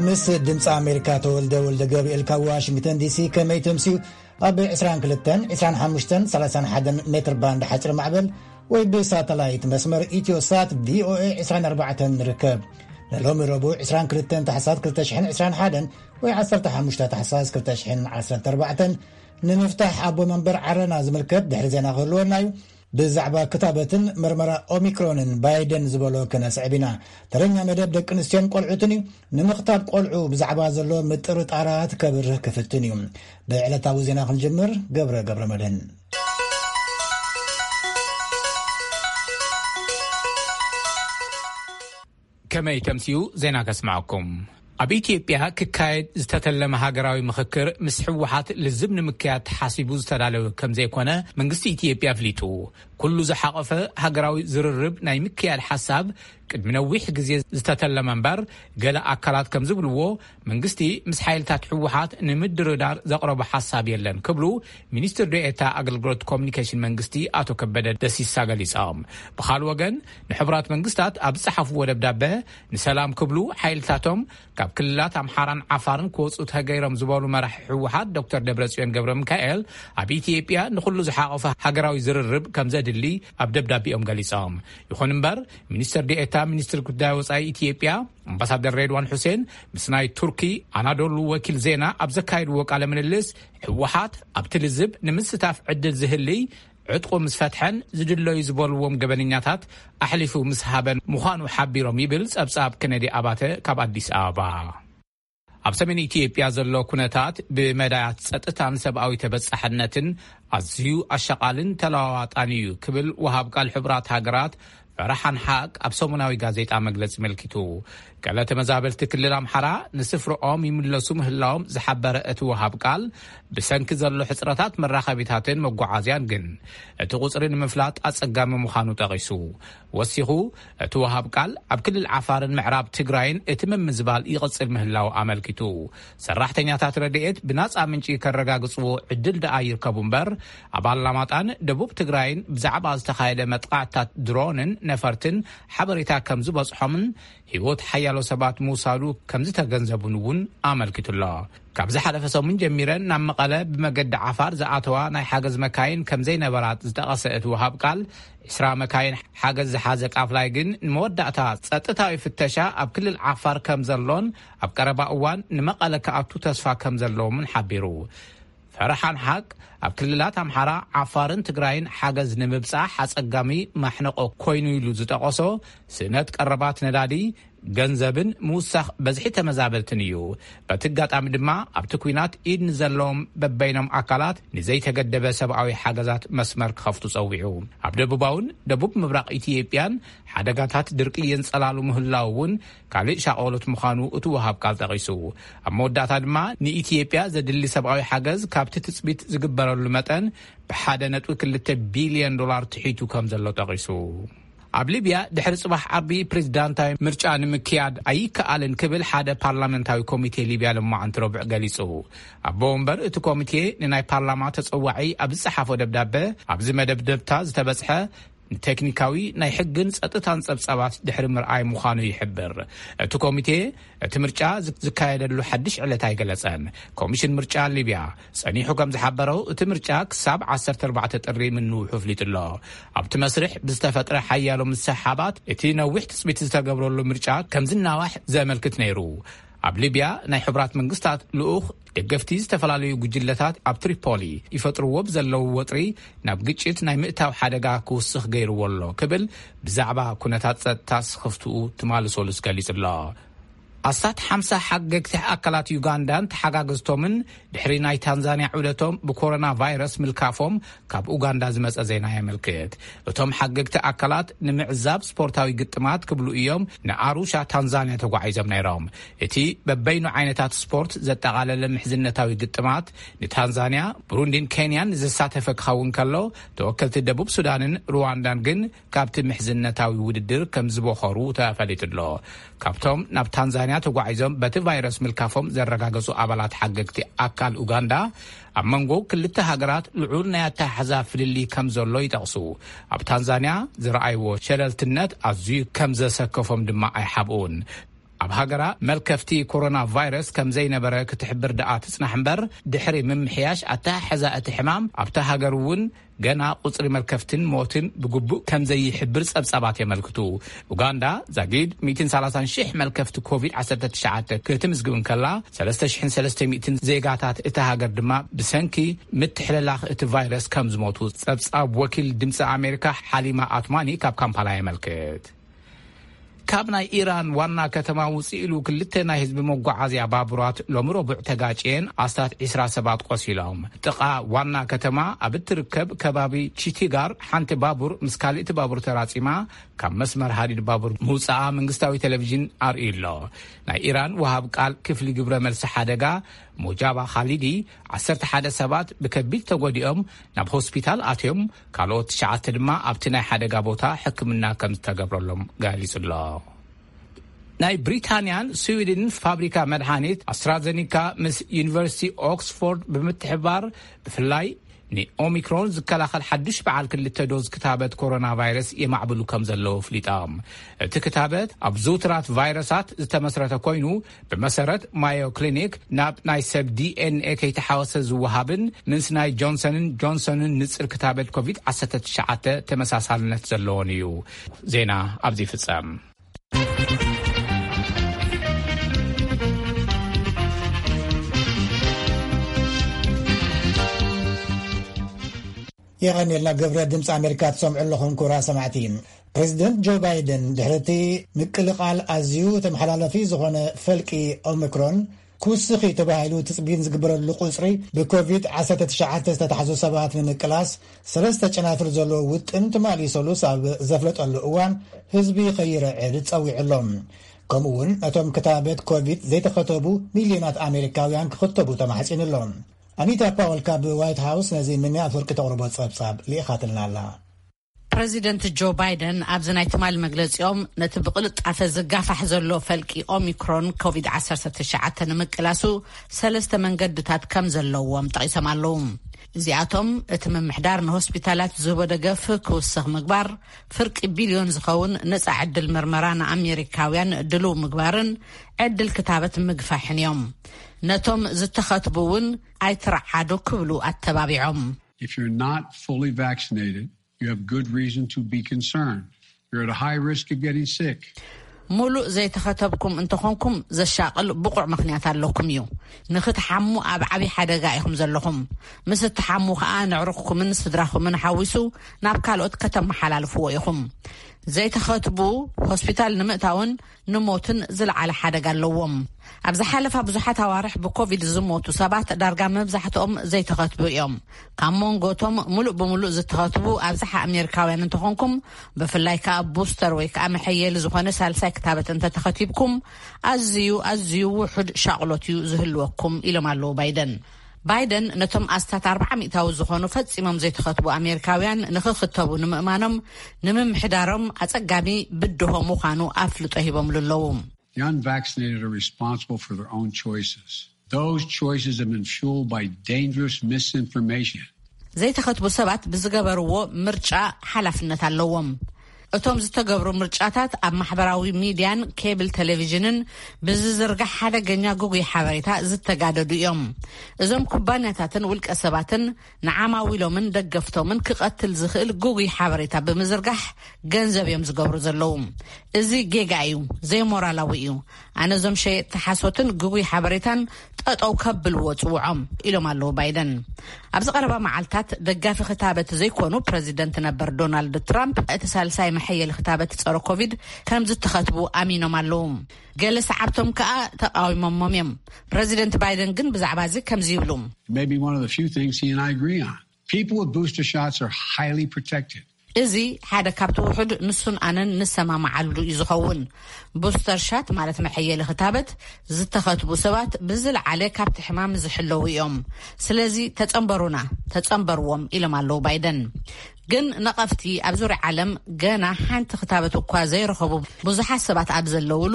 ምስ ድምፂ ኣሜሪካ ተወልደ ወልደ ገብርኤል ካብ ዋሽንግተን ዲሲ። ከመይ ተምስዩ? ኣብ ዕስራን ክልተን፣ ዕስራን ሓሙሽተን፣ ሰላሳን ሓደን ሜትር ባንድ ሓፂር ማዕበል ወይ ብሳተላይት መስመር ኢትዮ ሳት ቪኦኤ ዕስራን ኣርባዕተን ንርከብ። ንሎሚ ረቡዕ ዕስራን ክልተን ታሕሳስ ክልተ ሽሕን ዕስራን ሓደን ወይ ዓሰርተ ሓሙሽተ ታሕሳስ ክልተ ሽሕን ዓሰርተ ኣርባዕተን ንምፍታሕ ኣቦ መንበር ዓረና ዝምልከት ድሕሪ ዜና ክህልወና እዩ። ብዛዕባ ክታበትን መርመራ ኦሚክሮንን ባይደን ዝበሎ ክነስዕብ ኢና። ተረኛ መደብ ደቂ ኣንስትዮን ቆልዑትን እዩ። ንምኽታብ ቆልዑ ብዛዕባ ዘሎ ምጥርጣራት ከብርህ ክፍትን እዩ። ብዕለታዊ ዜና ክንጅምር፣ ገብረ ገብረ መድህን። ከመይ ተምስዩ ዜና ከስምዓኩም። ኣብ ኢትዮጵያ ክካየድ ዝተተለመ ሃገራዊ ምኽክር ምስ ህወሓት ልዝብ ንምክያድ ተሓሲቡ ዝተዳለወ ከም ዘይኮነ መንግስቲ ኢትዮጵያ ኣፍሊጡ። ኩሉ ዝሓቆፈ ሃገራዊ ዝርርብ ናይ ምክያድ ሓሳብ ቅድሚ ነዊሕ ግዜ ዝተተለመ እምበር፣ ገለ ኣካላት ከም ዝብልዎ መንግስቲ ምስ ሓይልታት ህወሓት ንምድርዳር ዘቕረቦ ሓሳብ የለን ክብሉ ሚኒስትር ዴኤታ ኣገልግሎት ኮሚኒኬሽን መንግስቲ ኣቶ ከበደ ደሲሳ ገሊጾም። ብኻልእ ወገን ንሕቡራት መንግስታት ኣብ ዝጸሓፍዎ ደብዳበ ንሰላም ክብሉ ሓይልታቶም ካብ ክልላት ኣምሓራን ዓፋርን ክወጹ ተገይሮም ዝበሉ መራሒ ህወሓት ዶክተር ደብረጽዮን ገብረ ሚካኤል ኣብ ኢትዮጵያ ንኹሉ ዝሓቆፈ ሃገራዊ ዝርርብ ከም ዘድሊ ኣብ ደብዳቤኦም ገሊጾም። ይኹን እምበር ሚኒስትር ዴኤታ ሚኒስትር ጉዳይ ወጻኢ ኢትዮጵያ ኣምባሳደር ሬድዋን ሑሴን ምስ ናይ ቱርኪ ኣናዶሉ ወኪል ዜና ኣብ ዘካየድዎ ቃለ ምልልስ፣ ህወሓት ኣብቲ ልዝብ ንምስታፍ ዕድል ዝህልይ ዕጥቁ ምስ ፈትሐን ዝድለዩ ዝበልዎም ገበነኛታት ኣሕሊፉ ምስ ሃበን ምዃኑ ሓቢሮም ይብል ጸብጻብ ከነዲ ኣባተ ካብ ኣዲስ ኣበባ። ኣብ ሰሜን ኢትዮጵያ ዘሎ ኩነታት ብመዳያት ጸጥታን ሰብኣዊ ተበጻሕነትን ኣዝዩ ኣሻቓልን ተለዋዋጣን እዩ ክብል ወሃብ ቃል ሕቡራት ሃገራት ፈረሓን ሓቅ ኣብ ሰሙናዊ ጋዜጣ መግለጺ መልኪቱ። ገለ ተመዛበልቲ ክልል ኣምሓራ ንስፍርኦም ይምለሱ ምህላዎም ዝሓበረ እቲ ወሃብ ቃል፣ ብሰንኪ ዘሎ ሕጽረታት መራኸቢታትን መጓዓዝያን ግን እቲ ቁጽሪ ንምፍላጥ ኣጸጋሚ ምዃኑ ጠቒሱ። ወሲኹ፣ እቲ ወሃብ ቃል ኣብ ክልል ዓፋርን ምዕራብ ትግራይን እቲ ምምዝባል ይቕጽል ምህላው ኣመልኪቱ። ሰራሕተኛታት ረድኤት ብናጻ ምንጪ ከረጋግጽዎ ዕድል ደኣ ይርከቡ እምበር፣ ኣብ ኣላማጣን ደቡብ ትግራይን ብዛዕባ ዝተኻየደ መጥቃዕትታት ድሮንን ነፈርትን ሓበሬታ ከም ዝበጽሖምን ህይወት ሓያሎ ሰባት ምውሳዱ ከም ዝተገንዘቡን እውን ኣመልኪቱ ኣሎ። ካብ ዝሓለፈ ሰሙን ጀሚረን ናብ መቐለ ብመገዲ ዓፋር ዝኣተዋ ናይ ሓገዝ መካይን ከም ዘይነበራት ዝጠቐሰ እቲ ወሃብ ቃል፣ ዕስራ መካይን ሓገዝ ዝሓዘ ቃፍላይ ግን ንመወዳእታ ጸጥታዊ ፍተሻ ኣብ ክልል ዓፋር ከም ዘሎን ኣብ ቀረባ እዋን ንመቐለ ክኣቱ ተስፋ ከም ዘለዎምን ሓቢሩ። ፈረሓን ሓቅ ኣብ ክልላት ኣምሓራ፣ ዓፋርን ትግራይን ሓገዝ ንምብጻሕ ኣጸጋሚ ማሕነቆ ኮይኑ ኢሉ ዝጠቐሶ ስእነት ቀረባት ነዳዲ፣ ገንዘብን ምውሳኽ በዝሒ ተመዛበልትን እዩ። በቲ ኣጋጣሚ ድማ ኣብቲ ኲናት ኢድ ንዘለዎም በበይኖም ኣካላት ንዘይተገደበ ሰብኣዊ ሓገዛት መስመር ክኸፍቱ ጸዊዑ። ኣብ ደቡባውን ደቡብ ምብራቕ ኢትዮጵያን ሓደጋታት ድርቂ የንጸላሉ ምህላው እውን ካልእ ሻቐሎት ምዃኑ እቲ ወሃብ ቃል ጠቒሱ። ኣብ መወዳእታ ድማ ንኢትዮጵያ ዘድሊ ሰብኣዊ ሓገዝ ካብቲ ትጽቢት ዝግበረሉ መጠን ብሓደ ነጥቢ ክልተ ቢልዮን ዶላር ትሒቱ ከም ዘሎ ጠቒሱ። ኣብ ሊብያ ድሕሪ ጽባሕ ዓርቢ ፕሬዝዳንታዊ ምርጫ ንምክያድ ኣይከኣልን ክብል ሓደ ፓርላመንታዊ ኮሚቴ ሊብያ ሎማዓንቲ ረቡዕ ገሊጹ። ኣቦ ወንበር እቲ ኮሚቴ ንናይ ፓርላማ ተጸዋዒ ኣብ ዝጸሓፎ ደብዳበ፣ ኣብዚ መደብደብታ ዝተበጽሐ ንቴክኒካዊ ናይ ሕግን ጸጥታን ጸብጻባት ድሕሪ ምርኣይ ምዃኑ ይሕብር። እቲ ኮሚቴ እቲ ምርጫ ዝ-፣ ዝካየደሉ ሓድሽ ዕለት ኣይገለጸን። ኮሚሽን ምርጫ ሊብያ ጸኒሑ ከም ዝሓበሮ፣ እቲ ምርጫ ክሳብ ዓሰርተ ኣርባዕተ ጥሪ ምንውሑ ኣፍሊጡ ኣሎ። ኣብቲ መስርሕ ብዝተፈጥረ ሓያሎ ምስሕሓባት፣ እቲ ነዊሕ ትጽቢት ዝተገብረሉ ምርጫ ከም ዝናዋሕ ዘመልክት ነይሩ። ኣብ ሊብያ ናይ ሕቡራት መንግስታት ልኡኽ ደገፍቲ ዝተፈላለዩ ጉጅለታት ኣብ ትሪፖሊ ይፈጥርዎ ብዘለዉ ወጥሪ ናብ ግጭት ናይ ምእታው ሓደጋ ክውስኽ ገይርዎ ኣሎ ክብል ብዛዕባ ኩነታት ጸጥታ ስኽፍትኡ ትማሊ ሰሉስ ገሊጹ ኣሎ። ኣስታት ሓምሳ ሓገግቲ ኣካላት ዩጋንዳን ተሓጋገዝቶምን ድሕሪ ናይ ታንዛንያ ዑደቶም ብኮሮና ቫይረስ ምልካፎም ካብ ኡጋንዳ ዝመጸ ዜና የመልክት። እቶም ሓገግቲ ኣካላት ንምዕዛብ ስፖርታዊ ግጥማት ክብሉ እዮም ንኣሩሻ ታንዛንያ ተጓዒዞም ነይሮም። እቲ በበይኑ ዓይነታት ስፖርት ዘጠቓለለ ምሕዝነታዊ ግጥማት ንታንዛንያ፣ ብሩንዲን ኬንያን ዘሳተፈ ክኸውን ከሎ፣ ተወከልቲ ደቡብ ሱዳንን ሩዋንዳን ግን ካብቲ ምሕዝነታዊ ውድድር ከም ዝበኸሩ ተፈሊጡ ኣሎ። ካብቶም ናብ ታንዛንያ ታንዛንያ ተጓዒዞም በቲ ቫይረስ ምልካፎም ዘረጋገጹ ኣባላት ሓገግቲ ኣካል ኡጋንዳ፣ ኣብ መንጎ ክልተ ሃገራት ልዑል ናይ ኣተሓሕዛ ፍልልይ ከም ዘሎ ይጠቕሱ። ኣብ ታንዛንያ ዝረኣይዎ ሸለልትነት ኣዝዩ ከም ዘሰከፎም ድማ ኣይሓብኡን። ኣብ ሃገራ መልከፍቲ ኮሮና ቫይረስ ከም ዘይነበረ ክትሕብር ደኣ ትጽናሕ እምበር፣ ድሕሪ ምምሕያሽ ኣተሓሕዛ እቲ ሕማም ኣብታ ሃገር እውን ገና ቁጽሪ መልከፍትን ሞትን ብግቡእ ከም ዘይሕብር ጸብጻባት የመልክቱ። ኡጋንዳ ዛጊድ ሚእትን ሰላሳን ሽሕ መልከፍቲ ኮቪድ ዓሰርተ ትሽዓተ ክትምዝግብ እንከላ፣ ሰለስተ ሽሕን ሰለስተ ሚእትን ዜጋታት እታ ሃገር ድማ ብሰንኪ ምትሕልላኽ እቲ ቫይረስ ከም ዝሞቱ ጸብጻብ ወኪል ድምጺ ኣሜሪካ ሓሊማ ኣትማኒ ካብ ካምፓላ የመልክት። ካብ ናይ ኢራን ዋና ከተማ ውፅእ ኢሉ ክልተ ናይ ህዝቢ መጓዓዝያ ባቡራት ሎሚ ረቡዕ ተጋጭየን ኣስታት ዒስራ ሰባት ቆሲሎም። ጥቓ ዋና ከተማ ኣብ እትርከብ ከባቢ ቺቲጋር ሓንቲ ባቡር ምስ ካልእቲ ባቡር ተራጺማ ካብ መስመር ሃዲድ ባቡር ምውፅኣ መንግስታዊ ቴሌቪዥን ኣርእዩ ኣሎ። ናይ ኢራን ወሃብ ቃል ክፍሊ ግብረ መልሲ ሓደጋ ሞጃባ ኻሊዲ ዓሰርተ ሓደ ሰባት ብከቢድ ተጎዲኦም ናብ ሆስፒታል ኣትዮም፣ ካልኦት ትሽዓተ ድማ ኣብቲ ናይ ሓደጋ ቦታ ሕክምና ከም ዝተገብረሎም ገሊጹ ኣሎ። ናይ ብሪታንያን ስዊድን ፋብሪካ መድሓኒት ኣስትራዘኒካ ምስ ዩኒቨርሲቲ ኦክስፎርድ ብምትሕባር፣ ብፍላይ ንኦሚክሮን ዝከላኸል ሓዱሽ በዓል ክልተ ዶዝ ክታበት ኮሮና ቫይረስ የማዕብሉ ከም ዘለዉ ኣፍሊጦም። እቲ ክታበት ኣብ ዝውትራት ቫይረሳት ዝተመስረተ ኮይኑ፣ ብመሰረት ማዮ ክሊኒክ ናብ ናይ ሰብ ዲኤንኤ ከይተሓወሰ ዝወሃብን ምስ ናይ ጆንሰንን ጆንሰንን ንጽር ክታበት ኮቪድ ዓሰርተ ትሽዓተ ተመሳሳልነት ዘለዎን እዩ። ዜና ኣብዚ ይፍጸም። የቐንየልና። ግብረ ድምፂ ኣሜሪካ ትሰምዑ ኣለኹም ክቡራት ሰማዕቲ። ፕሬዚደንት ጆ ባይደን ድሕሪ እቲ ምቅልቓል ኣዝዩ ተመሓላለፊ ዝኾነ ፈልቂ ኦሚክሮን ክውስኺ ተባሂሉ ትፅቢት ዝግበረሉ ቁፅሪ ብኮቪድ ዓሰርተ ትሽዓተ ዝተታሕዙ ሰባት ንምቅላስ ሰለስተ ጨናፍር ዘለዎ ውጥን ትማሊ ሰሉስ ኣብ ዘፍለጠሉ እዋን ህዝቢ ከይረዕድ ጸዊዑ ኣሎ። ከምኡ እውን ነቶም ክታበት ኮቪድ ዘይተኸተቡ ሚልዮናት ኣሜሪካውያን ክኽተቡ ተማሕጺኑ ኣሎ። ኣኒታ ፓወል ካብ ዋይት ሃውስ ነዚ ምንያ ኣፍወርቂ ተቕርቦ ጸብጻብ ልኢኻትልና ኣላ። ፕረዚደንት ጆ ባይደን ኣብዚ ናይ ትማሊ መግለጺኦም ነቲ ብቕልጣፈ ዝጋፋሕ ዘሎ ፈልቂ ኦሚክሮን ኮቪድ ዓሰርተ ትሽዓተ ንምቅላሱ ሰለስተ መንገድታት ከም ዘለዎም ጠቒሶም ኣለዉ። እዚኣቶም እቲ ምምሕዳር ንሆስፒታላት ዝህቦ ደገፍ ክውስኽ ምግባር፣ ፍርቂ ቢልዮን ዝኸውን ነጻ ዕድል ምርመራ ንኣሜሪካውያን ድሉው ምግባርን ዕድል ክታበት ምግፋሕን እዮም። ነቶም ዝተኸትቡ እውን ኣይትረዓዱ ክብሉ ኣተባቢዖም። If you're not fully vaccinated, you have good reason to be concerned. You're at a high risk of getting sick. ሙሉእ ዘይተኸተብኩም እንተኾንኩም ዘሻቕል ብቑዕ ምኽንያት ኣለኩም እዩ። ንኽትሓሙ ኣብ ዓብዪ ሓደጋ ኢኹም ዘለኹም። ምስ እትሓሙ ከኣ ንዕሩኽኩምን ስድራኹምን ሓዊሱ ናብ ካልኦት ከተመሓላልፍዎ ኢኹም። ዘይተኸትቡ ሆስፒታል ንምእታውን ንሞትን ዝለዓለ ሓደጋ ኣለዎም። ኣብ ዝሓለፋ ብዙሓት ኣዋርሕ ብኮቪድ ዝሞቱ ሰባት ዳርጋ መብዛሕትኦም ዘይተኸትቡ እዮም። ካብ መንጎቶም ሙሉእ ብሙሉእ ዝተኸትቡ ኣብዝሓ ኣሜሪካውያን እንተኾንኩም፣ ብፍላይ ከኣ ቡስተር ወይ ከኣ መሐየሊ ዝኾነ ሳልሳይ ክታበት እንተተኸቲብኩም፣ ኣዝዩ ኣዝዩ ውሑድ ሻቕሎት እዩ ዝህልወኩም ኢሎም ኣለዉ ባይደን። ባይደን ነቶም ኣስታት ኣርብዓ ሚእታዊ ዝኾኑ ፈጺሞም ዘይተኸትቡ ኣሜሪካውያን ንኽኽተቡ ንምእማኖም ንምምሕዳሮም ኣጸጋሚ ብድሆ ምዃኑ ኣፍልጦ ሂቦምሉ ኣለዉ። The unvaccinated are responsible for their own choices. Those choices have been fueled by dangerous misinformation. ዘይተኸትቡ ሰባት ብዝገበርዎ ምርጫ ሓላፍነት ኣለዎም። እቶም ዝተገብሩ ምርጫታት ኣብ ማሕበራዊ ሚድያን ኬብል ቴሌቪዥንን ብዝዝርጋሕ ሓደገኛ ግጉይ ሓበሬታ ዝተጋደዱ እዮም። እዞም ኩባንያታትን ውልቀ ሰባትን ንዓማዊሎምን ደገፍቶምን ክቐትል ዝኽእል ግጉይ ሓበሬታ ብምዝርጋሕ ገንዘብ እዮም ዝገብሩ ዘለዉ። እዚ ጌጋ እዩ፣ ዘይሞራላዊ እዩ። ኣነ እዞም ሸየጥቲ ሓሶትን ግጉይ ሓበሬታን ጠጠው ከብልዎ ጽውዖም ኢሎም ኣለዉ ባይደን። ኣብዚ ቀረባ መዓልታት ደጋፊ ክታበት ዘይኮኑ ፕረዚደንት ነበር ዶናልድ ትራምፕ እቲ ሳልሳይ መሐየሊ ክታበት ጸረ ኮቪድ ከም ዝተኸትቡ ኣሚኖም ኣለዉ። ገለ ሰዓብቶም ከኣ ተቃዊሞሞም እዮም። ፕረዚደንት ባይደን ግን ብዛዕባ እዚ ከምዚ ይብሉ። It may be one of the few things he and I agree on. People with booster shots are highly protected. እዚ ሓደ ካብቲ ውሑድ ንሱን ኣነን ንሰማማዓሉ እዩ ዝኸውን። ቡስተር ሻት ማለት መሐየሊ ክታበት ዝተኸትቡ ሰባት ብዝለዓለ ካብቲ ሕማም ዝሕለዉ እዮም። ስለዚ ተጸንበሩና፣ ተጸንበርዎም ኢሎም ኣለዉ ባይደን። ግን ነቐፍቲ ኣብ ዙርያ ዓለም ገና ሓንቲ ክታበት እኳ ዘይረኸቡ ብዙሓት ሰባት ኣብ ዘለውሉ፣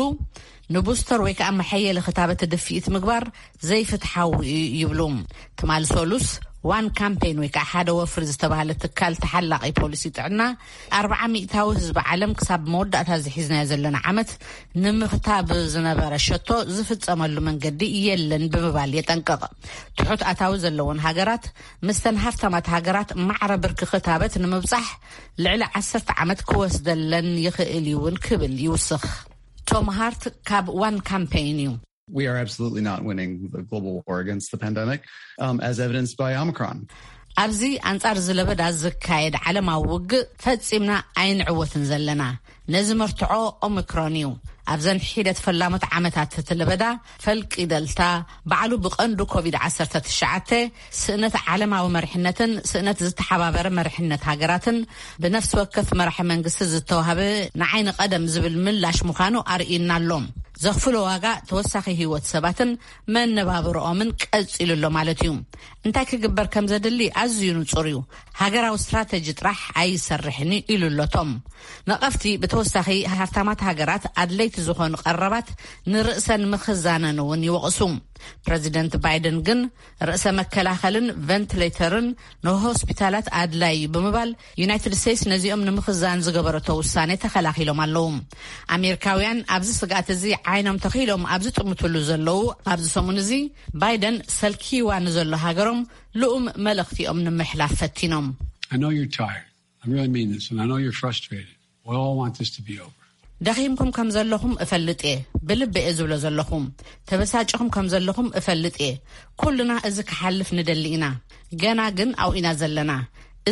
ንቡስተር ወይ ከዓ መሐየሊ ክታበት ድፍኢት ምግባር ዘይፍትሓዊ እዩ ይብሉ። ትማል ሰሉስ ዋን ካምፔን ወይ ከዓ ሓደ ወፍሪ ዝተባህለ ትካል ተሓላቒ ፖሊሲ ጥዕና፣ ኣርብዓ ሚእታዊ ህዝቢ ዓለም ክሳብ መወዳእታ ዝሒዝናዮ ዘለና ዓመት ንምኽታብ ዝነበረ ሸቶ ዝፍጸመሉ መንገዲ የለን ብምባል የጠንቅቕ። ትሑት ኣታዊ ዘለወን ሃገራት ምስተን ሃፍታማት ሃገራት ማዕረ ብርኪ ክታበት ንምብጻሕ ልዕሊ ዓሰርተ ዓመት ክወስደለን ይኽእል እዩ እውን ክብል ይውስኽ። ቶም ሃርት ካብ ዋን ካምፔይን እዩ። We are absolutely not winning the global war against the pandemic, um, as evidenced by Omicron. ኣብዚ ኣንጻር ዝለበዳ ዝካየድ ዓለማዊ ውግእ ፈጺምና ኣይንዕወትን ዘለና። ነዚ መርትዖ ኦሚክሮን እዩ። ኣብዘን ሒደት ፈላሞት ዓመታት እቲ ለበዳ ፈልቂ ደልታ ባዕሉ ብቐንዱ ኮቪድ ዓሰርተ ትሽዓተ ስእነት ዓለማዊ መሪሕነትን ስእነት ዝተሓባበረ መሪሕነት ሃገራትን ብነፍሲ ወከፍ መራሒ መንግስቲ ዝተዋህበ ንዓይ ንቐደም ዝብል ምላሽ ምዃኑ ኣርእዩና ኣሎ። ዘኽፍሎ ዋጋ ተወሳኺ ህይወት ሰባትን መነባብርኦምን ቀጺሉ ኣሎ ማለት እዩ። እንታይ ክግበር ከም ዘድሊ ኣዝዩ ንጹር እዩ። ሃገራዊ ስትራተጂ ጥራሕ ኣይሰርሕን እዩ ኢሉ ኣሎ ቶም። ነቐፍቲ ብተወሳኺ ሃፍታማት ሃገራት ኣድለይቲ ዝኾኑ ቀረባት ንርእሰን ምኽዛነን እውን ይወቕሱ። ፕረዚደንት ባይደን ግን ርእሰ መከላኸልን ቨንትሌተርን ንሆስፒታላት ኣድላይ እዩ ብምባል ዩናይትድ ስቴትስ ነዚኦም ንምኽዛን ዝገበረቶ ውሳኔ ተኸላኺሎም ኣለዉ። ኣሜሪካውያን ኣብዚ ስግኣት እዚ ዓይኖም ተኺሎም ኣብ ዝጥምትሉ ዘለዉ ኣብዚ ሰሙን እዚ ባይደን ሰልኪዋ ንዘሎ ሃገሮም ልኡም መልእኽቲኦም ንምሕላፍ ፈቲኖም። I know you're tired. I really mean this, and I know you're frustrated. We all want this to be over. ደኺምኩም ከም ዘለኹም እፈልጥ እየ። ብልቢ እየ ዝብሎ ዘለኹ። ተበሳጭኹም ከም ዘለኹም እፈልጥ እየ። ኩልና እዚ ክሓልፍ ንደሊ ኢና። ገና ግን ኣብኡ ኢና ዘለና።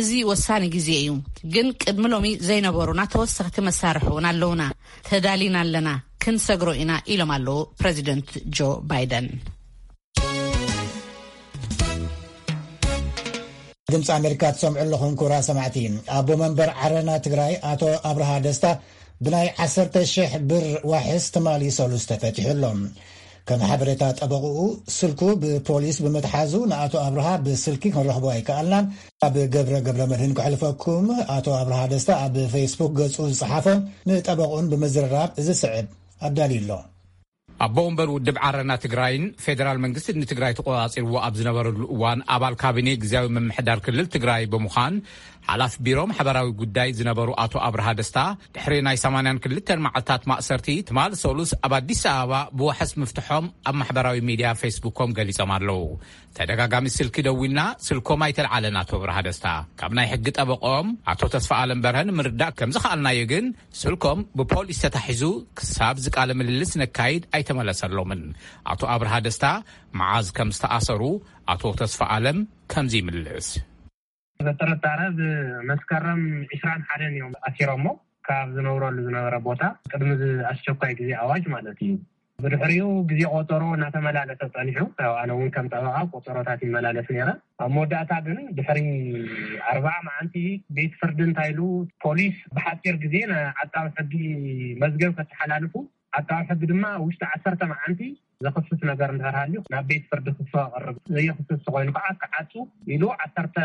እዚ ወሳኒ ግዜ እዩ። ግን ቅድሚ ሎሚ ዘይነበሩና ተወሰኽቲ መሳርሒ እውን ኣለውና። ተዳሊና ኣለና። ክንሰግሮ ኢና ኢሎም ኣለዉ ፕረዚደንት ጆ ባይደን። ድምፂ ኣሜሪካ ትሰምዑ ኣለኹም ክቡራት ሰማዕቲ። ኣቦ መንበር ዓረና ትግራይ ኣቶ ኣብርሃ ደስታ ብናይ ዓሰርተ ሽሕ ብር ዋሕስ ትማሊ ሰሉስ ተፈቲሑ ኣሎ። ከም ሓበሬታ ጠበቕኡ ስልኩ ብፖሊስ ብምትሓዙ ንኣቶ ኣብርሃ ብስልኪ ክንረኽቦ ኣይከኣልናን። ኣብ ገብረ ገብረ መድህን ክሕልፈኩም። ኣቶ ኣብርሃ ደስታ ኣብ ፌስቡክ ገፁ ዝፀሓፎ ንጠበቕኡን ብምዝርራብ እዚ ስዕብ ኣዳልዩ ኣሎ። ኣቦ ወንበር ውድብ ዓረና ትግራይን ፌደራል መንግስቲ ንትግራይ ተቆጻጺርዎ ኣብ ዝነበረሉ እዋን ኣባል ካቢኔ ግዝያዊ ምምሕዳር ክልል ትግራይ ብምዃን ሓላፊ ቢሮ ማሕበራዊ ጉዳይ ዝነበሩ ኣቶ ኣብርሃ ደስታ ድሕሪ ናይ ሰማንያን ክልተን መዓልታት ማእሰርቲ ትማል ሰሉስ ኣብ ኣዲስ ኣበባ ብዋሕስ ምፍትሖም ኣብ ማሕበራዊ ሚድያ ፌስቡኮም ገሊጾም ኣለዉ። ተደጋጋሚ ስልኪ ደዊልና ስልኮም ኣይተልዓለን ኣቶ ኣብርሃ ደስታ። ካብ ናይ ሕጊ ጠበቆም ኣቶ ተስፋ ኣለም በርሀ ንምርዳእ ከም ዝኸኣልናዮ ግን ስልኮም ብፖሊስ ተታሒዙ ክሳብ ዝቃለ ምልልስ ነካይድ ኣይተመለሰሎምን። ኣቶ ኣብርሃ ደስታ መዓዝ ከም ዝተኣሰሩ ኣቶ ተስፋ ኣለም ከምዚ ይምልስ። በጥርጣረ ብመስከረም ዕስራን ሓደን እዮም ኣሲሮሞ ካብ ዝነብረሉ ዝነበረ ቦታ ቅድሚ እዚ ኣስቸኳይ ግዜ ኣዋጅ ማለት እዩ። ብድሕሪኡ ግዜ ቆጸሮ እናተመላለሰ ጸኒሑ። ያው ኣነ እውን ከም ጠበቓ ቆጸሮታት ይመላለስ ነይረ። ኣብ መወዳእታ ግን ድሕሪ ኣርባዓ መዓልቲ ቤት ፍርዲ እንታይ ኢሉ ፖሊስ ብሓጺር ግዜ ንዓቃቢ ሕጊ መዝገብ ከተሓላልፉ፣ ዓቃቢ ሕጊ ድማ ውሽጢ ዓሰርተ መዓልቲ ዘኽስስ ነገር እንድሕር ሃልዩ ናብ ቤት ፍርዲ ክፍቶ ኣቕርብ፣ ዘየኽስስ ተኾይኑ ከዓ ክዓጹ ኢሉ ዓሰርተ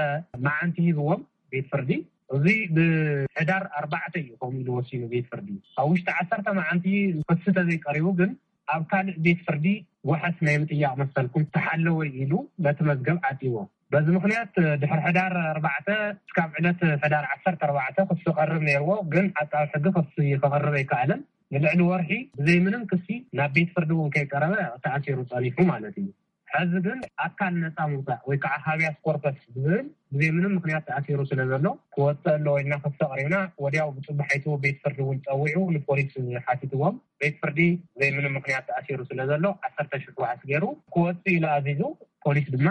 መዓልቲ ሂብዎም ቤት ፍርዲ። እዚ ብሕዳር ኣርባዕተ እዩ ከምኡ ኢሉ ወሲኑ ቤት ፍርዲ። ኣብ ውሽጢ ዓሰርተ መዓልቲ ክሲ ተዘይቀሪቡ ግን ኣብ ካልእ ቤት ፍርዲ ዋሕስ ናይ ምጥያቕ መሰልኩም ተሓለወ ኢሉ ነቲ መዝገብ ዓጺዎ። በዚ ምኽንያት ድሕሪ ሕዳር ኣርባዕተ እስካብ ዕለት ሕዳር ዓሰርተ ኣርባዕተ ክሲ ቀርብ ነይርዎ፣ ግን ዓቃቢ ሕጊ ክሲ ከቕርብ ኣይከኣለን። ንልዕሊ ወርሒ ብዘይ ምንም ክሲ ናብ ቤት ፍርዲ እውን ከይቀረበ ተኣሲሩ ጸኒሑ ማለት እዩ። ሕዚ ግን ኣካል ነጻ ምውጻእ ወይ ከዓ ሃቢያስ ኮርፐስ ብዝብል ብዘይ ምንም ምኽንያት ተኣሲሩ ስለ ዘሎ ክወጽእ ኣለዎ ኢልና ክሲ ኣቕሪብና፣ ወዲያው ብጽባሒቱ ቤት ፍርዲ እውን ጸዊዑ ንፖሊስ ሓቲትዎም። ቤት ፍርዲ ብዘይ ምንም ምኽንያት ተኣሲሩ ስለ ዘሎ ዓሰርተ ሽሕ ዋሕስ ገይሩ ክወጽእ ኢሉ ኣዚዙ፣ ፖሊስ ድማ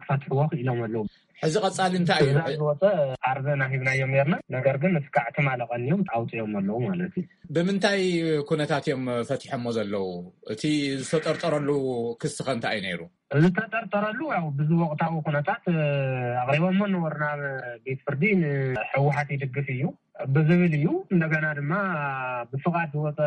ክፈትሕዎ ክኢሎም ኣለዉ። ሕዚ ቀጻሊ እንታይ እዩ? ትእዛዝ ዝወጸ ዓርቢ ናሂብናዮም ነርና፣ ነገር ግን እስካዕ ትማሊ ቀንዮም ኣውጺኦም ኣለዉ ማለት እዩ። ብምንታይ ኩነታት እዮም ፈቲሖሞ ዘለዉ? እቲ ዝተጠርጠረሉ ክሲ ከ እንታይ እዩ ነይሩ? ዝተጠርጠረሉ ያው ብዙ ወቕታዊ ኩነታት፣ እ፣ ኣቕሪቦሞ ነበሩ ናብ ቤት ፍርዲ። ንህወሓት ይድግፍ እዩ ብዝብል እዩ። እንደገና ድማ ብፍቓድ ዝወፀ፣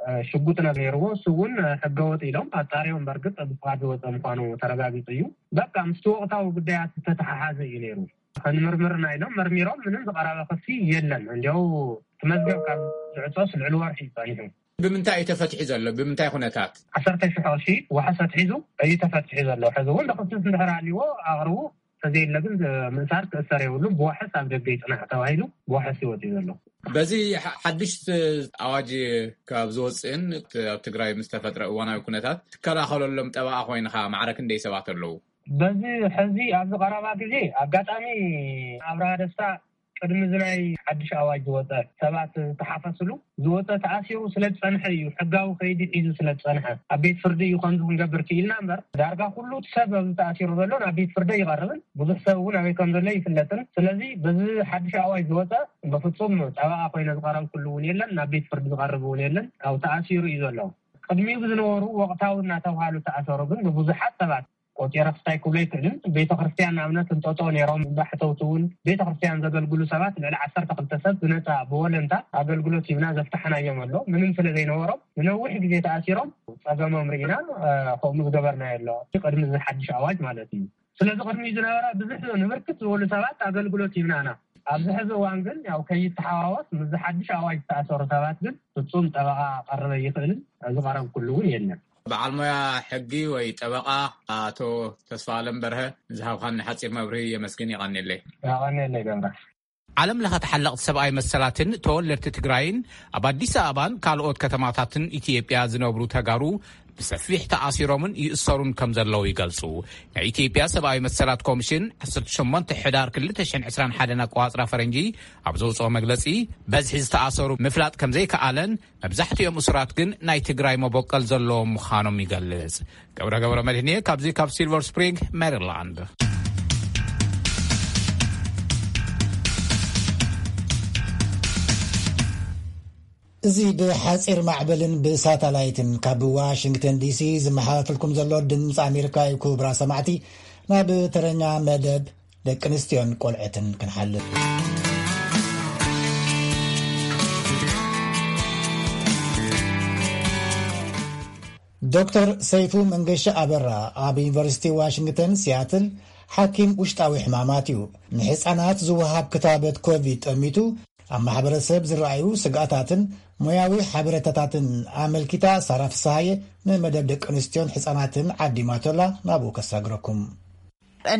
እ፣ ሽጉጥ ነይርዎ። እሱ እውን ሕገወጥ ኢሎም ኣጣሪዮም። በእርግጥ ብፍቓድ ዝወፀ ምዃኑ ተረጋጊፁ እዩ። በቃ ምስቲ ወቕታዊ ጉዳያት ዝተተሓሓዘ እዩ ነይሩ። ከንምርምርና ኢሎም መርሚሮም ምንም ዝቐረበ ክሲ የለን። እንዲያው እቲ መዝገብ ካብ ዝዕጾስ ልዕሊ ወርሒ እዩ ጸኒሑ። ብምንታይ እዩ ተፈትሒ ዘሎ? ብምንታይ ኩነታት? ዓሰርተ ሽሕ ቅርሺ ዋሕስ ኣትሒዙ እዩ ተፈትሒ ዘሎ። ሕዚ እውን ክሲ እንድሕር ኣልዎ ኣቕርቡ፣ ተዘየለ ግን ምእሳር ክእሰር የብሉ፣ ብዋሕስ ኣብ ደገ ይጽናሕ ተባሂሉ ብዋሕስ ይወጽእ ዘሎ። በዚ ሓ- ሓድሽ ኣዋጅ ካብ ዝወፅእን እቲ ኣብ ትግራይ ምስ ተፈጥረ እዋናዊ ኩነታት ትከላኸለሎም ጠበቓ ኮይንካ ማዕረ ክንደይ ሰባት ኣለዉ? በዚ ሕዚ ኣብዚ ቀረባ ግዜ ኣጋጣሚ ኣብርሃ ደስታ ቅድሚ እዚ ናይ ሓድሽ ኣዋጅ ዝወፀ ሰባት ዝተሓፈስሉ ዝወፀ ተኣሲሩ ስለ ዝፀንሐ እዩ። ሕጋዊ ከይዲ ሒዙ ስለ ዝፀንሐ ኣብ ቤት ፍርዲ እዩ ከምዚ ክንገብር ክኢልና እምበር ዳርጋ ኩሉ እቲ ሰብ ኣብዚ ተኣሲሩ ዘሎ ናብ ቤት ፍርዲ ይቐርብን ብዙሕ ሰብ እውን ኣበይ ከም ዘሎ ይፍለጥን። ስለዚ በዚ ሓድሽ ኣዋጅ ዝወፀ በፍጹም ጠበቓ ኮይነ ዝቐረብኩሉ እውን የለን፣ ናብ ቤት ፍርዲ ዝቐርብ እውን የለን። ኣብ ተኣሲሩ እዩ ዘሎ። ቅድሚኡ ብዝነበሩ ወቕታዊ እናተባሃሉ ተኣሰሩ ግን ብብዙሓት ሰባት ቆፂረ ክስታይ ክብሎ ይክእልን። ቤተ ክርስቲያን ንኣብነት እንጠጦ ነይሮም እንዳሕተውቲ እውን ቤተ ክርስቲያን ዘገልግሉ ሰባት ልዕሊ ዓሰርተ ክልተ ሰብ ብነፃ ብወለንታ ኣገልግሎት ሂብና ዘፍታሕናዮም ኣሎ። ምንም ስለ ዘይነበሮም ንነዊሕ ግዜ ተኣሲሮም ፀገሞም ርኢና ከምኡ ዝገበርናዮ ኣሎ። ቅድሚ እዚ ሓድሽ ኣዋጅ ማለት እዩ። ስለዚ ቅድሚ ዝነበረ ብዙሕ ንብርክት ዝበሉ ሰባት ኣገልግሎት ሂብናና። ኣብዚ ሕዚ እዋን ግን ያው ከይተሓዋወስ ምስ ሓድሽ ኣዋጅ ዝተኣሰሩ ሰባት ግን ፍጹም ጠበቓ ቀረበ ይኽእልን ዝቐረብኩሉ እውን የለን። በዓል ሞያ ሕጊ ወይ ጠበቓ ኣቶ ተስፋ ኣለም በርሀ ንዝሃብካኒ ሓፂር መብርሂ የመስግን። የቐንየለይ። የቐንየለይ ገብረ። ዓለም ለኸ ተሓለቕቲ ሰብኣዊ መሰላትን ተወለድቲ ትግራይን ኣብ ኣዲስ ኣበባን ካልኦት ከተማታትን ኢትዮጵያ ዝነብሩ ተጋሩ ብሰፊሕ ተኣሲሮምን ይእሰሩን ከም ዘለዉ ይገልጹ። ናይ ኢትዮጵያ ሰብኣዊ መሰላት ኮሚሽን ዓሰርተ ሸሞንተ ሕዳር ክልተ ሽሕን ዕስራን ሓደን ኣቆጻጽራ ፈረንጂ ኣብ ዘውጽኦ መግለጺ በዝሒ ዝተኣሰሩ ምፍላጥ ከም ዘይከኣለን መብዛሕትኦም እሱራት ግን ናይ ትግራይ መቦቀል ዘለዎም ምዃኖም ይገልጽ። ገብረ ገብረ መድህንየ ካብዚ ካብ ሲልቨር ስፕሪንግ ሜሪላንድ። እዚ ብሓጺር ማዕበልን ብሳተላይትን ካብ ዋሽንግተን ዲሲ ዝመሓላለፈልኩም ዘሎ ድምፂ ኣሜሪካ እዩ። ክቡራ ሰማዕቲ፣ ናብ ተረኛ መደብ ደቂ ኣንስትዮን ቆልዕትን ክንሓልፍ። ዶክተር ሰይፉ መንገሻ ኣበራ ኣብ ዩኒቨርሲቲ ዋሽንግተን ሲያትል ሓኪም ውሽጣዊ ሕማማት እዩ። ንሕፃናት ዝወሃብ ክታበት ኮቪድ ጠሚቱ ኣብ ማሕበረሰብ ዝረኣዩ ስግኣታትን ሞያዊ ሓበሬታታትን ኣመልኪታ ሳራ ፍስሃየ ንመደብ ደቂ ኣንስትዮን ሕፃናትን ዓዲማቶላ ናብኡ ከሳግረኩም።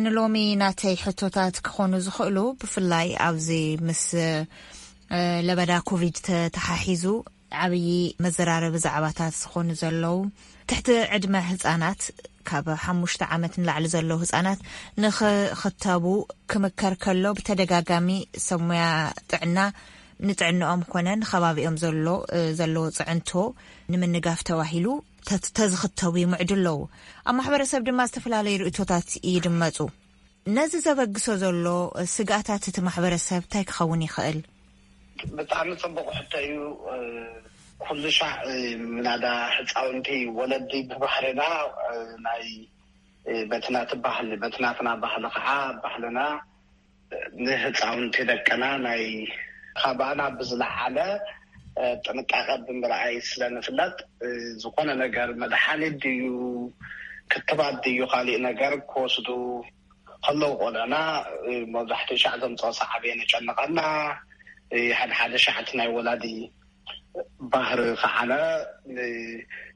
ንሎሚ ናተይ ሕቶታት ክኾኑ ዝኽእሉ ብፍላይ ኣብዚ ምስ ለበዳ ኮቪድ ተተሓሒዙ ዓብዪ መዘራረቢ ዛዕባታት ዝኾኑ ዘለዉ ትሕቲ ዕድመ ህፃናት ካብ ሓሙሽተ ዓመት ንላዕሊ ዘለዉ ህፃናት ንኽኽተቡ ክምከር ከሎ ብተደጋጋሚ ሰብ ሞያ ጥዕና ንጥዕንኦም ኮነ ንከባቢኦም ዘሎ ዘለዎ ፅዕንቶ ንምንጋፍ ተባሂሉ ተዝኽተቡ ይምዕዱ ኣለዉ። ኣብ ማሕበረሰብ ድማ ዝተፈላለዩ ርእቶታት ይድመፁ። ነዚ ዘበግሶ ዘሎ ስግኣታት እቲ ማሕበረሰብ እንታይ ክኸውን ይኽእል? ብጣዕሚ ፅቡቕ ሕቶ እዩ። ኩሉ ሻዕ ምናዳ ህፃውንቲ ወለዲ ብባህርና ናይ በቲ ናቲ ባህሊ በቲ ናትና ባህሊ ከዓ ባህልና ንህፃውንቲ ደቅና ናይ ካባና ብዝለዓለ ጥንቃቐ ብምርኣይ ስለ ንፍለጥ ዝኾነ ነገር መድሓኒት ድዩ ክትባት ድዩ ካሊእ ነገር ክወስዱ ከለዉ ቆልዑና መብዛሕትኡ ሻዕ ዘምፅኦ ሰዓብ የጨንቐና። ሓደ ሓደ ሻዕ እቲ ናይ ወላዲ ባህሪ ከዓነ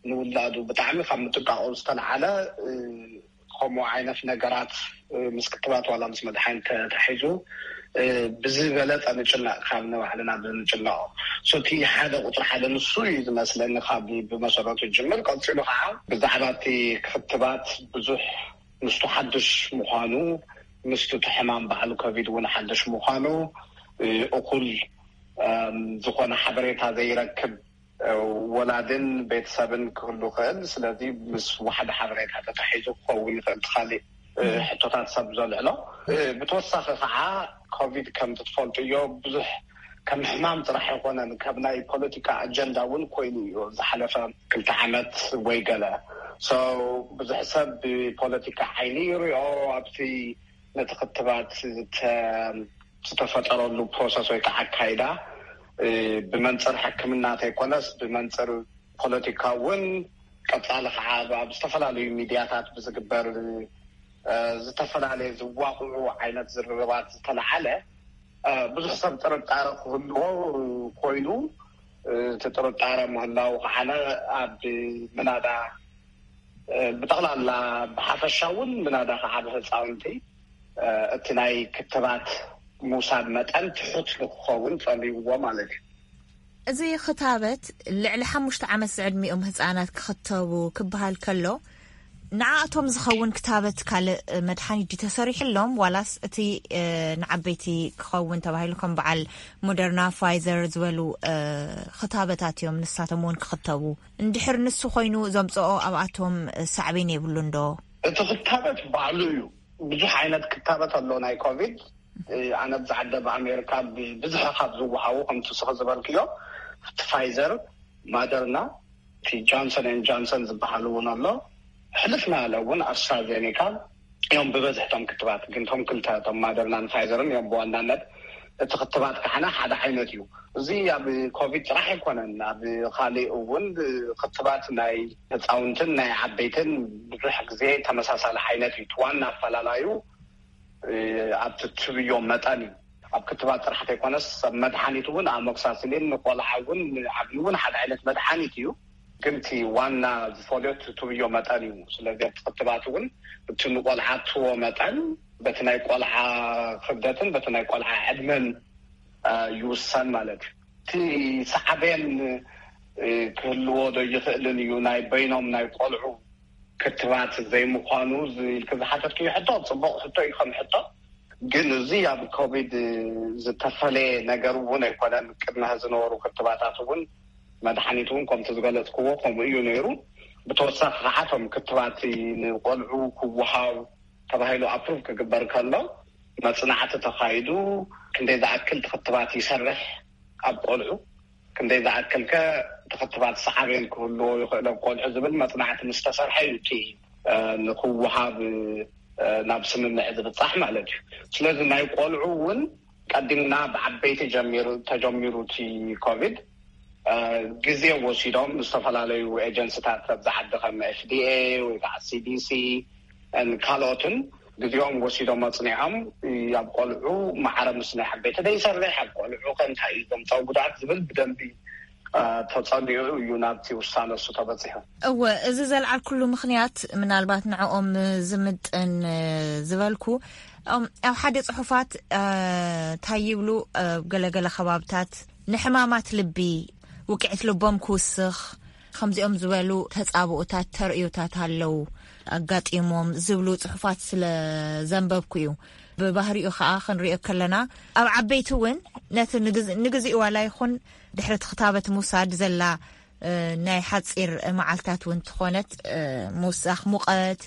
ንውላዱ ብጣዕሚ ካብ ምጥንቃቑ ዝተለዓለ ከምኡ ዓይነት ነገራት ምስ ክትባት ዋላ ምስ መድሓኒት ተታሒዙ ብዝበለፀ ንጭነቕ ካብ ንባዕልና ብንጭነቕ እቲ ሓደ ቁፅሪ ሓደ ንሱ እዩ ዝመስለኒ ካብ ብመሰረቱ ጅምር። ቀፂሉ ከዓ ብዛዕባ እቲ ክትባት ብዙሕ ምስቱ ሓዱሽ ምዃኑ ምስቱ እቲ ሕማም በዓል ኮቪድ እውን ሓዱሽ ምዃኑ እኹል ዝኾነ ሓበሬታ ዘይረክብ ወላድን ቤተሰብን ክህሉ ይኽእል። ስለዚ ምስ ዋሕዲ ሓበሬታ ተታሒዙ ክኸውን ይኽእል። እቲ ካሊእ ሕቶታት ሰብ ዘልዕሎ ብተወሳኺ ከዓ ኮቪድ ከም ትፈልጥዮ ብዙሕ ከም ሕማም ጥራሕ ኣይኮነን፣ ከም ናይ ፖለቲካ ኣጀንዳ እውን ኮይኑ እዩ ዝሓለፈ ክልተ ዓመት ወይ ገለ። ብዙሕ ሰብ ብፖለቲካ ዓይኒ ይሪኦ ኣብቲ ነቲ ክትባት ዝተፈጠረሉ ፕሮሰስ ወይ ከዓ ኣካይዳ ብመንፅር ሕክምና ተይኮነስ ብመንፅር ፖለቲካ እውን ቀፃሊ ከዓ ኣብ ዝተፈላለዩ ሚድያታት ብዝግበር እ፣ ዝተፈላለየ ዝዋቕዑ ዓይነት ዝርርባት ዝተለዓለ፣ እ፣ ብዙሕ ሰብ ጥርጣረ ክህልዎ ኮይኑ፣ እ፣ እቲ ጥርጣረ ምህላው ከዓነ ኣብ ምናዳ፣ እ፣ ብጠቕላላ ብሓፈሻ እውን ምናዳ ከዓ ብህፃውንቲ፣ እ፣ እቲ ናይ ክትባት ምውሳድ መጠን ትሑት ንክኸውን ጸልይዎ ማለት እዩ። እዚ ክታበት ልዕሊ ሓሙሽተ ዓመት ዝዕድሚኦም ህጻናት ክኽተቡ ክበሃል ከሎ፣ ንዓኣቶም ዝኸውን ክታበት ካልእ መድሓኒት ድዩ ተሰሪሕሎም፣ ዋላስ እቲ፣ እ፣ ንዓበይቲ ክኸውን ተባሂሉ ከም በዓል ሞደርና፣ ፋይዘር ዝበሉ፣ እ፣ ክታበታት እዮም ንሳቶም እውን ክኽተቡ? እንድሕር ንሱ ኮይኑ ዘምጽኦ ኣብኣቶም ሳዕቤን የብሉን ዶ? እቲ ክታበት ባዕሉ እዩ። ብዙሕ ዓይነት ክታበት ኣሎ ናይ ኮቪድ። እ፣ ኣነ ኣብዚ ዓዲ ኣብ ኣሜሪካ ብብዝሒ ካብ ዝወሃቡ፣ ከምቲ ስኺ ዝበልክዮ፣ እቲ ፋይዘር፣ ማደርና፣ እቲ ጆንሰን ኤን ጆንሰን ዝበሃል እውን ኣሎ። ሕልፍ እናበለ እውን ኣስትራዜኔካ እዮም ብበዝሒ እቶም ክትባት። ግን እቶም ክልተ፣ እቶም ማደርናን ፋይዘርን እዮም ብዋናነት። እቲ ክትባት ካሕና ሓደ ዓይነት እዩ። እዚ ኣብ ኮቪድ ጥራሕ ኣይኮነን። ኣብ ካሊእ እውን ክትባት ናይ ህፃውንትን ናይ ዓበይትን ብዙሕ ግዜ ተመሳሳሊ ዓይነት እዩ። እቲ ዋና ኣፈላላዩ፣ እ፣ ኣብቲ ትብዮ መጠን እዩ። ኣብ ክትባት ጥራሕ ዘይኮነስ፣ ኣብ መድሓኒት እውን ኣሞክሳሲሊን ንቆልዓ እውን ንዓብዪ እውን ሓደ ዓይነት መድሓኒት እዩ። ግን እቲ ዋና ዝፈልዮ እቲ ትብዮ መጠን እዩ። ስለዚ ኣብቲ ክትባት እውን እቲ ንቆልዓ እትዎ መጠን በቲ ናይ ቆልዓ ክብደትን በቲ ናይ ቆልዓ ዕድመን፣ እ፣ ይውሰን ማለት እዩ። እቲ ሳዕቤን፣ እ፣ ክህልዎ ዶ ይኽእልን እዩ ናይ በይኖም ናይ ቆልዑ ክትባት ዘይምዃኑ ዝ-፣ ኢልክ ዝሓተትክዮ ሕቶ ጽቡቕ ሕቶ እዩ ከም ሕቶ። ግን እዚ ኣብ ኮቪድ ዝተፈለየ ነገር እውን ኣይኮነን። ቅድሚ ዝነበሩ ክትባታት እውን መድሓኒት እውን ከምቲ ዝገለጽክዎ ከምኡ እዩ ነይሩ። ብተወሳኺ ከዓ እቶም ክትባት ንቆልዑ ክወሃብ ተባሂሉ ኣፕሩቭ ክግበር ከሎ መጽናዕቲ ተኻይዱ ክንደይ ዝኣክል እቲ ክትባት ይሰርሕ ኣብ ቆልዑ፣ ክንደይ ዝኣክል ከ እቲ ክትባት ሳዕቤን ክህልዎ ይኽእል ኣብ ቆልዑ ዝብል መጽናዕቲ ምስ ተሰርሐ እዩ እቲ፣ እ፣ ንክወሃብ፣ እ፣ ናብ ስምምዕ ዝብጻሕ ማለት እዩ። ስለዚ ናይ ቆልዑ እውን ቀዲምና ብዓበይቲ ጀሚሩ፣ ተጀሚሩ እቲ ኮቪድ፣ እ፣ ግዜ ወሲዶም ዝተፈላለዩ ኤጀንሲታት ኣብዚ ዓዲ ከም ኤፍ ዲ ኤ ወይ ከዓ ሲ ዲ ሲ ን ካልኦትን ግዜኦም ወሲዶም ኣጽኒዖም፣ እ፣ ኣብ ቆልዑ ማዕረ ምስ ናይ ዓበይቲ ደይሰርሕ፣ ኣብ ቆልዑ ከ እንታይ እዩ ዘምጻኦ ጉድኣት ዝብል ብደንቢ፣ እ፣ ተጸኒዑ እዩ ናብቲ ውሳነ እሱ ተበጺሑ። እወ፣ እዚ ዘልዓልኩሉ ምኽንያት ምናልባት ንዕኦም ዝምጥን፣ እ፣ ዝበልኩ፣ እም፣ ኣብ ሓደ ጽሑፋት፣ እ፣ እንታይ ይብሉ፣ እ፣ ገለገለ ከባብታት ንሕማማት ልቢ፣ ውቅዒት ልቦም ክውስኽ፣ ከምዚኦም ዝበሉ ተጻብኦታት፣ ተርእዮታት ኣለዉ ኣጋጢሞም ዝብሉ ጽሑፋት ስለ ዘንበብኩ እዩ። ብባህሪኡ ኸኣ ክንሪኦ ከለና፣ ኣብ ዓበይቲ እውን ነቲ ንግዝ-፣ ንግዚኡ ዋላ ይኹን ድሕሪ እቲ ክታበት ምውሳድ ዘላ፣ እ፣ ናይ ሓጺር መዓልታት እውን ትኾነት፣ እ፣ ምውሳኽ ሙቐት፣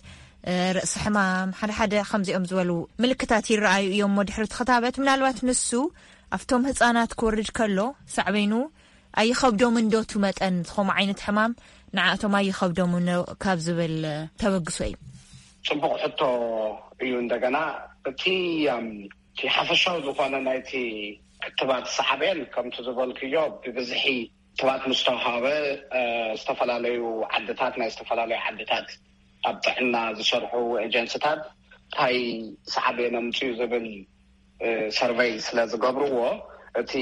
እ፣ ርእሲ ሕማም፣ ሓደ ሓደ ከምዚኦም ዝበሉ ምልክታት ይረኣዩ እዮም እሞ ድሕሪ እቲ ክታበት። ምናልባት ንሱ ኣብቶም ህጻናት ክወርድ ከሎ ሳዕቤኑ ኣይኸብዶምን ዶ? እቲ መጠን ዝኾም ዓይነት ሕማም ንዓኣቶም ኣይኸብዶምን ዶ ካብ ዝብል ተበግሶ እዩ። ጽቡቕ ሕቶ እዩ። እንደገና እቲ፣ እም፣ እቲ ሓፈሻዊ ዝኾነ ናይቲ ክትባት ሳዕቤን ከምቲ ዝበልክዮ ብብዝሒ ክትባት ምስ ተዋሃበ፣ እ፣ ዝተፈላለዩ ዓድታት፣ ናይ ዝተፈላለዩ ዓድታት ኣብ ጥዕና ዝሰርሑ ኤጀንሲታት እንታይ ሳዕቤን ኣምፅኡ ዝብል፣ እ፣ ሰርቨይ ስለ ዝገብርዎ፣ እቲ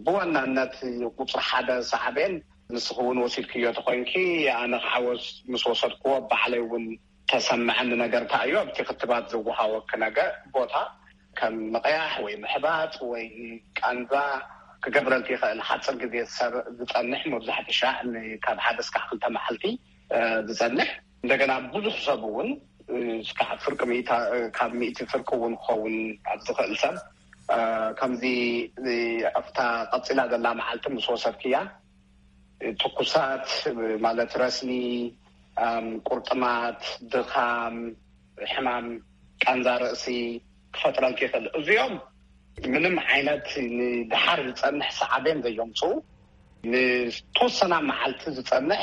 ብዋናነት ቁፅሪ ሓደ ሳዕቤን ንስኺ እውን ወሲድክዮ ተኾይንኪ፣ ኣነ ከዓ ወስ-፣ ምስ ወሰድክዎ ባዕለይ እውን ተሰምዐኒ ነገር እንታይ እዩ፣ ኣብቲ ክትባት ዝወሃበኪ ነገር ቦታ ከም ምቕያሕ ወይ ምሕባጥ ወይ ቃንዛ ክገብረልኪ ይኽእል። ሓፂር ግዜ ዝሰር-፣ ዝፀንሕ፣ መብዛሕትኡ ሻዕ ን-፣ ካብ ሓደ እስካዕ ክልተ መዓልቲ፣ እ፣ ዝፀንሕ። እንደገና ብዙሕ ሰብ እውን፣ እ፣ እስካዕ ፍርቂ ሚእታ፣ እ፣ ካብ ሚእቲ ፍርቂ እውን ክኸውን ኣብ ዝኽእል ሰብ፣ እ፣ ከምዚ፣ እ፣ ኣብታ ቀፂላ ዘላ መዓልቲ ምስ ወሰድክያ፣ ትኩሳት ማለት ረስኒ፣ ኣም፣ ቁርጥማት፣ ድኻም፣ ሕማም ቃንዛ ርእሲ ክፈጥረልኪ ይኽእል። እዚኦም ምንም ዓይነት ንደሓር ዝጸንሕ ሰዓቤን ዘየምጽኡ፣ ንተወሰና መዓልቲ ዝጸንሕ፣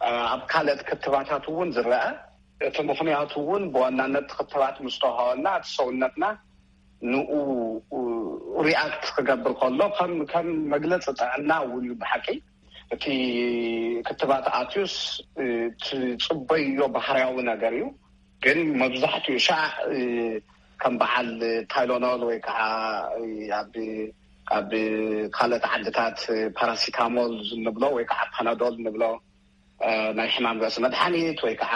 ኣ፣ ኣብ ካልኦት ክትባታት እውን ዝረአ። እቲ ምኽንያቱ እውን ብዋናነት እቲ ክትባት ምስ ተዋህበና፣ እቲ ሰውነትና ንኡ ሪኣክት ክገብር ከሎ ከም፣ ከም መግለጺ ጥዕና እውን እዩ ብሓቂ። እቲ ክትባት ኣትዩስ፣ እ፣ ትጽበዮ ባህርያዊ ነገር እዩ። ግን መብዛሕትኡ ሻዕ ከም በዓል ታይሎኖል ወይ ከዓ ኣብ ኣብ ካልኦት ዓድታት ፓራሲታሞል እንብሎ ወይ ከዓ ፓናዶል እንብሎ ናይ ሕማም ርእሲ መድሓኒት ወይ ከዓ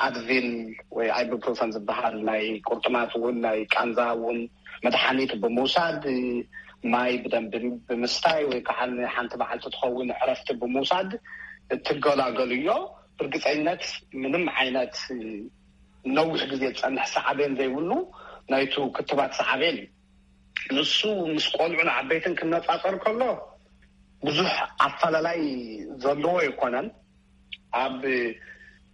ኣድቪል ወይ ኣይቡፕሮፈን ዝበሃል ናይ ቁርጥማት እውን ናይ ቃንዛ እውን መድሓኒት ብምውሳድ፣ ማይ ብደንቢ ብምስታይ ወይ ከዓ ሓንቲ መዓልቲ ትኸውን ዕረፍቲ ብምውሳድ እትገላገሉ እዮ። ብርግፀይነት ምንም ዓይነት ነዊሕ ግዜ ዝፀንሕ ሳዕቤን ዘይብሉ ናይቱ ክትባት ሳዕቤን እዩ። ንሱ ምስ ቆልዑን ዓበይትን ክነፃፀር ከሎ ብዙሕ ኣፈላላይ ዘለዎ ኣይኮነን። ኣብ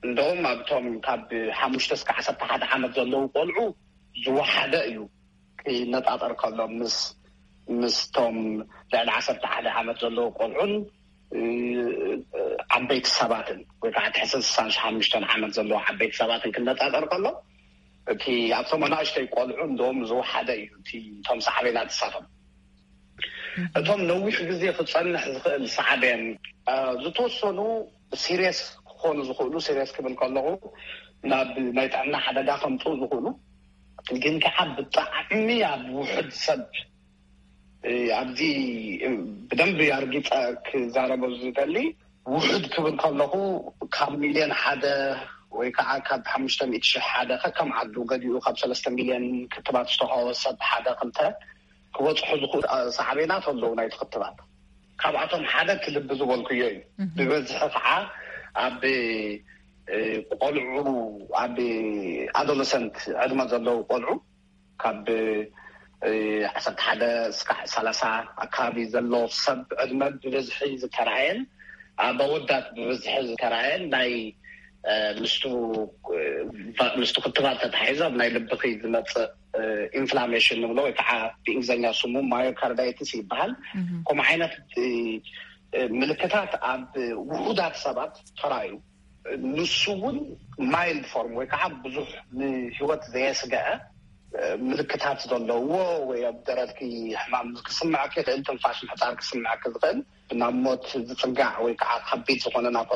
እንደውም ኣብቶም ካብ ሓሙሽተ እስከ ዓሰርተ ሓደ ዓመት ዘለዉ ቆልዑ ዝወሓደ እዩ ክነፃፀር ከሎ ምስ ምስቶም ልዕሊ ዓሰርተ ሓደ ዓመት ዘለዉ ቆልዑን ዓበይቲ ሰባትን ወይ ከዓ ትሕቲ ስሳን ሓሙሽተን ዓመት ዘለዉ ዓበይቲ ሰባትን ክነፃፀር ከሎ እቲ ኣብቶም ኣናእሽተይ ቆልዑ እንደውም ዝወሓደ እዩ እቲ እቶም ሳዕቤናት ዝሳቶም። እቶም ነዊሕ ግዜ ክፀንሕ ዝኽእል ሳዕቤን ዝተወሰኑ ሲሪየስ ክኾኑ ዝኽእሉ፣ ሲሪየስ ክብል ከለኹ ናብ ናይ ጥዕና ሓደጋ ከምፅኡ ዝኽእሉ ግን ከዓ ብጣዕሚ ኣብ ውሕድ ሰብ ኣብዚ ብደንብ ኣርጊፀ ክዛረበ ዝደሊ ውሕድ ክብል ከለኹ ካብ ሚልዮን ሓደ ወይ ከዓ ካብ ሓሙሽተ ሚእቲ ሽሕ ሓደ ከከም ዓዱ ገዲኡ ካብ ሰለስተ ሚልዮን ክትባት ዝተዋህቦ ሰብ ሓደ ክልተ ክበፅሑ ዝኽእሉ ሳዕቤናት ኣለዉ ናይቲ ክትባት። ካብኣቶም ሓደ እቲ ልቢ ዝበልኩዮ እዩ። ብበዝሒ ከዓ ኣብ ቆልዑ ኣብ ኣዶለሰንት ዕድመ ዘለዉ ቆልዑ ካብ ዓሰርተ ሓደ እስካዕ ሰላሳ ኣካባቢ ዘሎ ሰብ ዕድመ ብበዝሒ ዝተረኣየን ኣብ ኣወዳት ብበዝሒ ዝተረኣየን ናይ ምስቱ ምስቱ ክትባት ተታሒዞ ኣብ ናይ ልብኺ ዝመፅእ ኢንፍላሜሽን ንብሎ ወይ ከዓ ብእንግሊዝኛ ስሙ ማዮካርዳይትስ ይበሃል። ከምኡ ዓይነት ምልክታት ኣብ ውሑዳት ሰባት ተራእዩ። ንሱ እውን ማይልድ ፎርም ወይ ከዓ ብዙሕ ንህይወት ዘየስገአ ምልክታት ዘለዎ ወይ ኣብ ደረትኪ ሕማም ክስምዐኪ ይኽእል፣ ትንፋሽ ምሕፃር ክስምዐኪ ዝኽእል፣ ናብ ሞት ዝፅጋዕ ወይ ከዓ ከቢድ ዝኾነ ናብ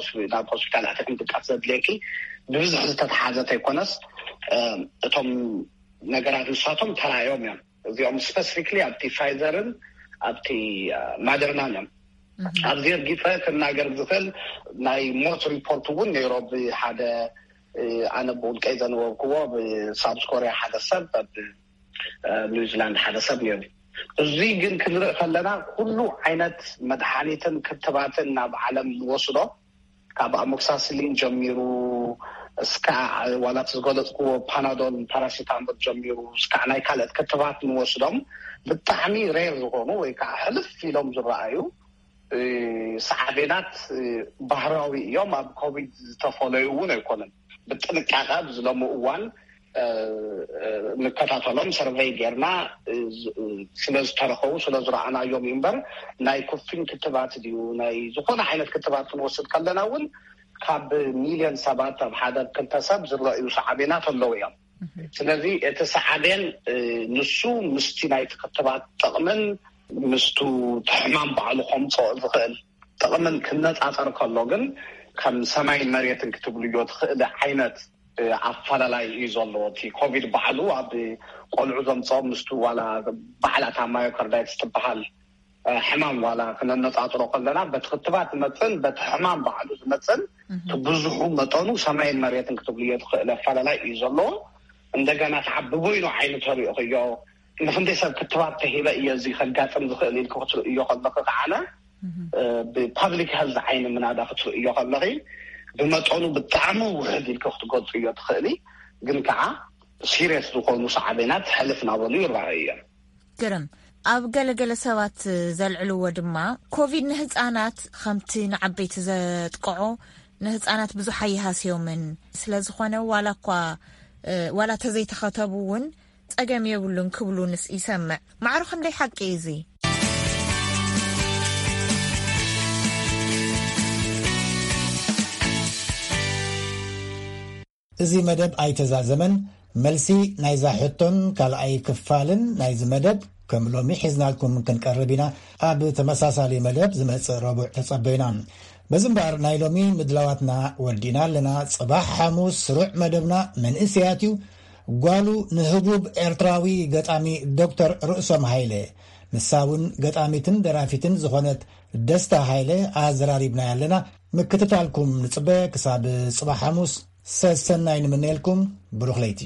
ሆስፒታል ኣትኺ ምድቃስ ዘድልየኪ ብብዝሒ ዝተተሓዘ ተይኮነስ እቶም ነገራት ንሳቶም ተራእዮም እዮም። እዚኦም ስፐሲፊክሊ ኣብቲ ፋይዘርን ኣብቲ ማደርናን እዮም። ኣብዚ ርጊፀ ክናገር ዝኽእል ናይ ሞት ሪፖርት እውን ነይሮ ብሓደ ኣነ ብውልቀይ ዘነበብክዎ ብሳውዝ ኮርያ ሓደ ሰብ ኣብ ኒውዚላንድ ሓደ ሰብ ነይሩ። እዚ ግን ክንርኢ ከለና ኩሉ ዓይነት መድሓኒትን ክትባትን ናብ ዓለም ንወስዶ ካብ ኣሞክሳስሊን ጀሚሩ እስካ ዋላ እቲ ዝገለፅክዎ ፓናዶል ፓራሲታሞል ጀሚሩ እስካ ናይ ካልኦት ክትባት ንወስዶም ብጣዕሚ ሬር ዝኾኑ ወይ ከዓ ሕልፍ ኢሎም ዝረኣዩ ሳዕቤናት ባህራዊ እዮም። ኣብ ኮቪድ ዝተፈለዩ እውን ኣይኮነን። ብጥንቃቐ ኣብዚ ሎሚ እዋን ንከታተሎም ሰርቨይ ጌርና ስለዝተረኸቡ ስለዝረኣናዮም እዩ እምበር ናይ ኩፊን ክትባት ድዩ ናይ ዝኾነ ዓይነት ክትባት ክንወስድ ከለና እውን ካብ ሚልዮን ሰባት ኣብ ሓደ ክልተ ሰብ ዝረእዩ ሳዕቤናት ኣለዉ እዮም። ስለዚ እቲ ሳዕቤን ንሱ ምስቲ ናይቲ ክትባት ጥቕምን ምስቱ ሕማም ባዕሉ ከምፅኦ ዝኽእል ጥቕምን ክነፃፀር ከሎ ግን ከም ሰማይን መሬትን ክትብልዮ ትኽእል ዓይነት ኣፈላላይ እዩ ዘለዎ። እቲ ኮቪድ ባዕሉ ኣብ ቆልዑ ዘምፅኦም ምስቱ ዋላ ባዕላ እታ ማዮካርዳይትስ ትበሃል ሕማም ዋላ ክነነፃፅሮ ከለና በቲ ክትባት ዝመፅእን በቲ ሕማም ባዕሉ ዝመፅእን እቲ ብዙሑ መጠኑ ሰማይን መሬትን ክትብልዮ ትኽእል ኣፈላላይ እዩ ዘለዎ። እንደገና ከዓ ብበይኑ ዓይኒ ተሪእኽዮ ንክንደይ ሰብ ክትባት ተሂበ እየ እዚ ከጋጥም ዝኽእል ኢልክ ክትርእዮ ከለክ ከዓነ ብፓብሊክ ሄልዝ ዓይኒ ምናዳ ክትርእዮ ከለኺ ብመጠኑ ብጣዕሚ ውሕድ ኢልክ ክትገልፅዮ ትኽእሊ፣ ግን ከዓ ሲሪየስ ዝኾኑ ሳዕቤናት ሕልፍ ናበሉ ይረኣዩ እዮም። ግርም። ኣብ ገለገለ ሰባት ዘልዕልዎ ድማ ኮቪድ ንህፃናት ከምቲ ንዓበይቲ ዘጥቅዖ ንህፃናት ብዙሕ ኣይሃስዮምን። ስለዝኾነ ዋላ እኳ ዋላ ተዘይተኸተቡ እውን ጸገም የብሉን ክብሉ ንስ ይሰምዕ። ማዕረ ክንደይ ሓቂ እዩ እዚ? እዚ መደብ ኣይተዛዘመን። መልሲ ናይዛ ሕቶን ካልኣይ ክፋልን ናይዚ መደብ ከም ሎሚ ሒዝናልኩም ክንቀርብ ኢና። ኣብ ተመሳሳሊ መደብ ዝመጽእ ረቡዕ ተጸበዩና። በዚ እምበኣር ናይ ሎሚ ምድላዋትና ወዲእና ኣለና። ጽባሕ ሓሙስ ስሩዕ መደብና መንእሰያት እዩ። ጓሉ ንህቡብ ኤርትራዊ ገጣሚ ዶክተር ርእሶም ሃይለ፣ ንሳ እውን ገጣሚትን ደራፊትን ዝኾነት ደስታ ሃይለ ኣዘራሪብና ኣለና። ምክትታልኩም ንጽበ። ክሳብ ጽባሕ ሓሙስ ሰሰናይ ንምነየልኩም። ብሩኽ ለይቲ።